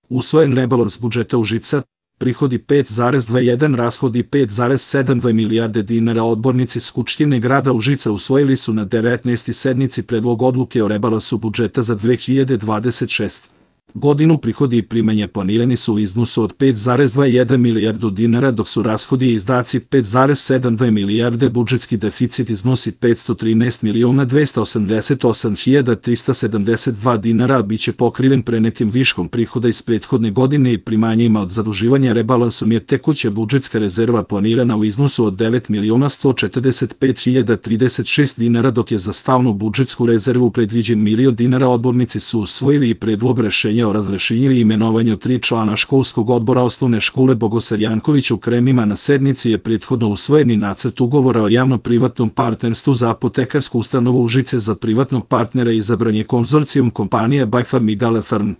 Usvojen rebalans budžeta Užica, prihodi 5,21, rashodi 5,72 milijarde dinara. Odbornici Skupštine grada Užica usvojili su na 19. sednici predlog odluke o rebalansu budžeta za 2026. godinu. Prihodi i primanja planirani su u iznosu od 5,21 milijardu dinara, dok su rashodi i izdaci 5,72 milijarde. Budžetski deficit iznosi 513.288.372 dinara, a biće pokriven prenetim viškom prihoda iz prethodne godine i primanjima od zaduživanja. Rebalansom je tekuća budžetska rezerva planirana u iznosu od 9.145.036 dinara, dok je za stalnu budžetsku rezervu predviđen 1.000.000 dinara. Odbornici su usvojili i predlog rešenja o razrešenju i imenovanju 3 člana školskog odbora Osnovne škole Bogosar Janković u Kremima. Na sednici je prethodno usvojeni nacrt ugovora o javno-privatnom partnerstvu za apotekarsku ustanovu Užice. Za privatnog partnera izabran je konzorcijum kompanije By Farm i Gale Farm.